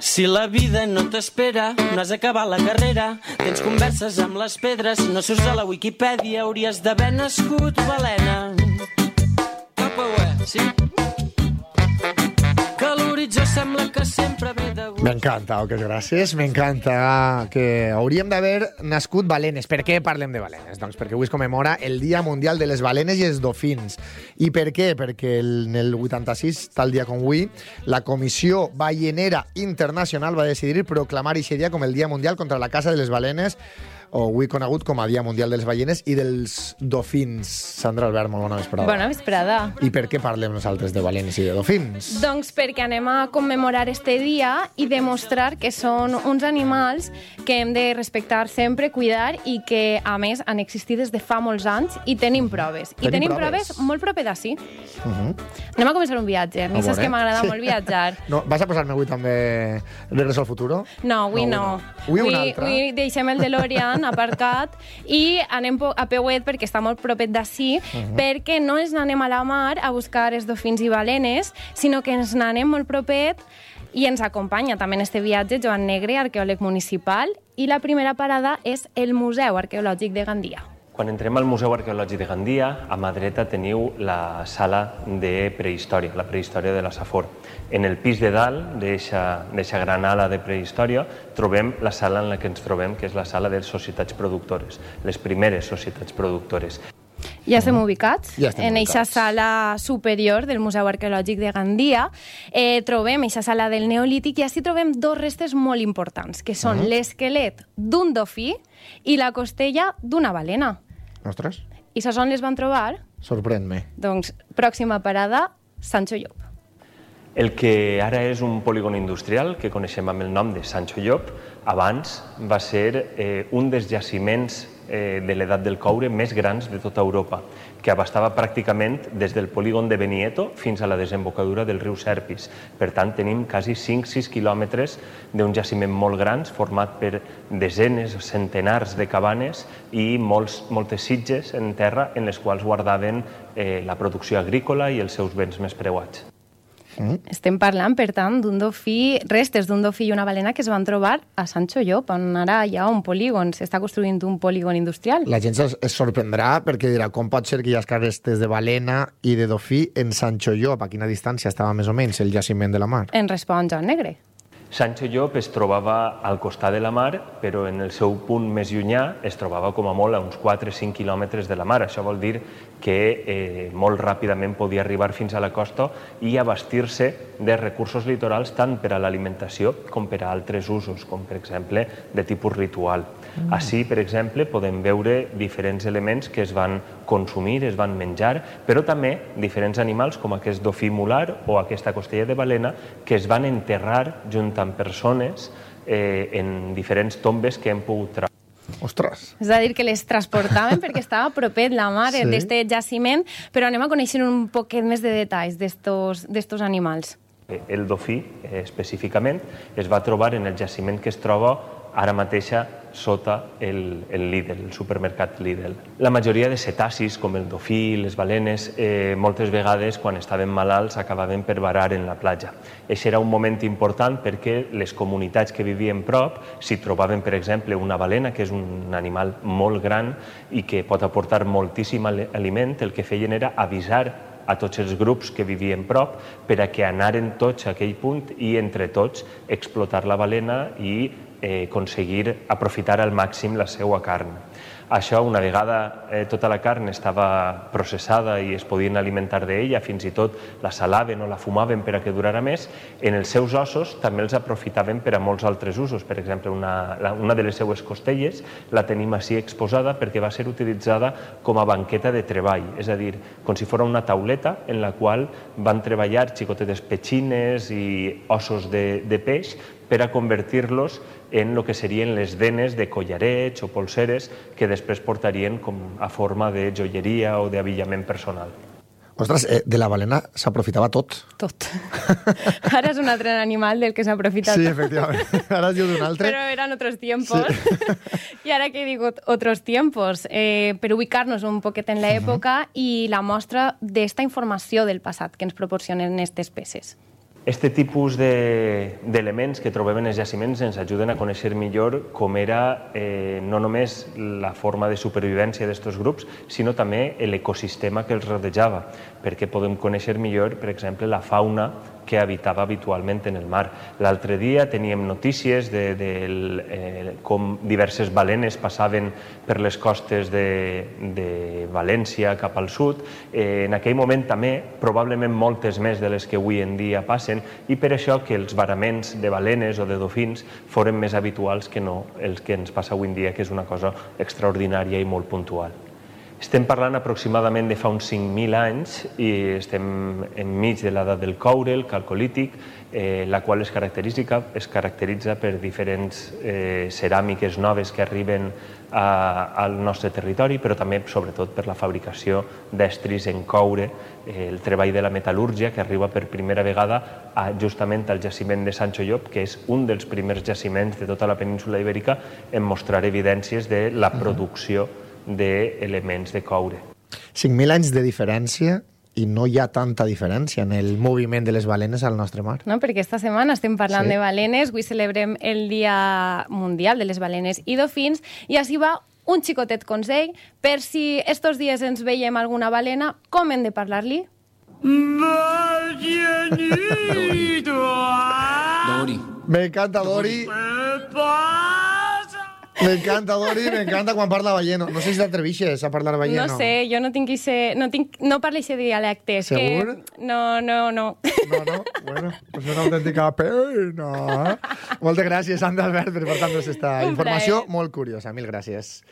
Si la vida no t'espera, no has acabat la carrera, tens converses amb les pedres, no surts a la Wikipedia, hauries d'haver nascut balena. Sí? Que l'horitzó sembla que sempre ve de gust. M'encanta, Oques, gràcies. M'encanta que hauríem d'haver nascut balenes. Per què parlem de balenes? Doncs perquè avui es commemora el Dia Mundial de les Balenes i els Dofins. I per què? Perquè en el 86, tal dia com avui, la Comissió Ballenera Internacional va decidir proclamar aquest dia com el Dia Mundial contra la caça de les balenes, o avui conegut com a Dia Mundial de les Ballenes i dels Dofins. Sandra Albert, molt bona vesprada. Bona vesprada. I per què parlem nosaltres de balenes i de dofins? Doncs perquè anem a commemorar este dia i demostrar que són uns animals que hem de respectar sempre, cuidar i que, a més, han existit des de fa molts anys i tenim proves. I tenim proves molt proper d'ací. Anem a començar un viatge. A mi saps que m'agrada molt viatjar. No, vas a posar-me avui també Regreso al futuro? No, avui no. Avui un altre. Avui deixem el DeLorean aparcat i anem a peuet perquè està molt propet d'ací, perquè no ens n'anem a la mar a buscar els dofins i balenes, sinó que ens n'anem molt propet i ens acompanya també en este viatge Joan Negre, arqueòleg municipal, i la primera parada és el Museu Arqueològic de Gandia. Quan entrem al Museu Arqueològic de Gandia, a mà dreta teniu la sala de prehistòria, la prehistòria de la Safor. En el pis de dalt d'eixa gran ala de prehistòria trobem la sala en la que ens trobem, que és la sala de societats productores, les primeres societats productores. Ja estem ubicats en eixa sala superior del Museu Arqueològic de Gandia. Trobem eixa sala del Neolític i així trobem dos restes molt importants, que són l'esquelet d'un dofí i la costella d'una balena. Ostres. I saps on les van trobar? Sorprèn-me. Doncs, pròxima parada, Sancho Llop. El que ara és un polígon industrial, que coneixem amb el nom de Sancho Llop, abans va ser un dels jaciments de l'edat del coure més grans de tota Europa, que abastava pràcticament des del polígon de Benieto fins a la desembocadura del riu Serpis. Per tant, tenim quasi 5-6 quilòmetres d'un jaciment molt gran, format per desenes, centenars de cabanes i moltes sitges en terra en les quals guardaven la producció agrícola i els seus béns més preuats. Estem parlant, per tant, d'un dofí, restes d'un dofí i una balena que es van trobar a Sancho Llop, on ara hi ha un polígon, s'està construint un polígon industrial. La gent es sorprendrà perquè dirà com pot ser que hi ha restes de balena i de dofí en Sancho Llop? A quina distància estava més o menys el jaciment de la mar? En respon Joan Negre. Sancho Llop es trobava al costat de la mar, però en el seu punt més llunyà es trobava com a molt a uns 4-5 quilòmetres de la mar. Això vol dir que molt ràpidament podia arribar fins a la costa i abastir-se de recursos litorals tant per a l'alimentació com per a altres usos, com per exemple de tipus ritual. Així, per exemple, podem veure diferents elements que es van consumir, es van menjar, però també diferents animals com aquest dofí mular o aquesta costella de balena que es van enterrar junt amb persones en diferents tombes que hem pogut trobar. Ostres! És a dir, que les transportaven perquè estava propet la mar d'este jaciment, però anem a conèixer un poquet més de detalls d'estos animals. El dofí, específicament, es va trobar en el jaciment que es troba ara mateixa sota el Lidl, el supermercat Lidl. La majoria de cetacis, com el dofí, les balenes, moltes vegades, quan estaven malalts, acabaven per varar en la platja. Això era un moment important perquè les comunitats que vivien prop, si trobaven, per exemple, una balena, que és un animal molt gran i que pot aportar moltíssim aliment, el que feien era avisar a tots els grups que vivien prop per a que anaren tots a aquell punt i entre tots explotar la balena i aconseguir aprofitar al màxim la seva carn. Això, una vegada tota la carn estava processada i es podien alimentar d'ella, fins i tot la salaven o la fumaven per a que durara més, en els seus ossos també els aprofitaven per a molts altres usos. Per exemple, una de les seues costelles la tenim així exposada perquè va ser utilitzada com a banqueta de treball, és a dir, com si fos una tauleta en la qual van treballar xicotetes petxines i ossos de peix per a convertir-los en el que serien les denes de collarets o polseres que després portarien com a forma de joieria o d'avillament personal. Ostres, de la balena s'aprofitava tot. Tot. Ara és un altre animal del que s'aprofita Sí, tot. efectivament. Ara es diu d'un altre. Pero eran otros tiempos. Sí. Y ahora que digo otros tiempos, per ubicar-nos un poquet en l'època i la mostra d'esta informació del passat que ens proporcionen aquestes peces. Este tipus d'elements que trobem en els jaciments ens ajuden a conèixer millor com era no només la forma de supervivència d'aquests grups, sinó també l'ecosistema que els rodejava, perquè podem conèixer millor, per exemple, la fauna que habitava habitualment en el mar. L'altre dia teníem notícies de com diverses balenes passaven per les costes de València cap al sud. En aquell moment també, probablement moltes més de les que avui en dia passen, i per això que els varaments de balenes o de dofins foren més habituals que no els que ens passa avui en dia, que és una cosa extraordinària i molt puntual. Estem parlant aproximadament de fa uns 5.000 anys i estem enmig de l'edat del coure, el calcolític, la qual es caracteritza per diferents ceràmiques noves que arriben al nostre territori, però també, sobretot, per la fabricació d'estris en coure, el treball de la metal·lúrgia, que arriba per primera vegada justament al jaciment de Sancho Llop, que és un dels primers jaciments de tota la península ibèrica en mostrar evidències de la producció d'elements de coure. 5.000 anys de diferència i no hi ha tanta diferència en el moviment de les balenes al nostre mar. No, perquè esta setmana estem parlant de balenes, avui celebrem el Dia Mundial de les Balenes i Dofins, i així va un xicotet consell per si estos dies ens veiem alguna balena, com hem de parlar-li? Dori. Me encanta, Dori. Me encanta, Dori, me encanta quan parla balleno. No sé si t'atrevixes a parlar balleno. No sé, jo no parlo aquest dialecte. Segur? No. No? Bueno, pues una autèntica pena. Moltes gràcies, Sandra Albert, per portar-nos esta informació molt curiosa. Mil gràcies.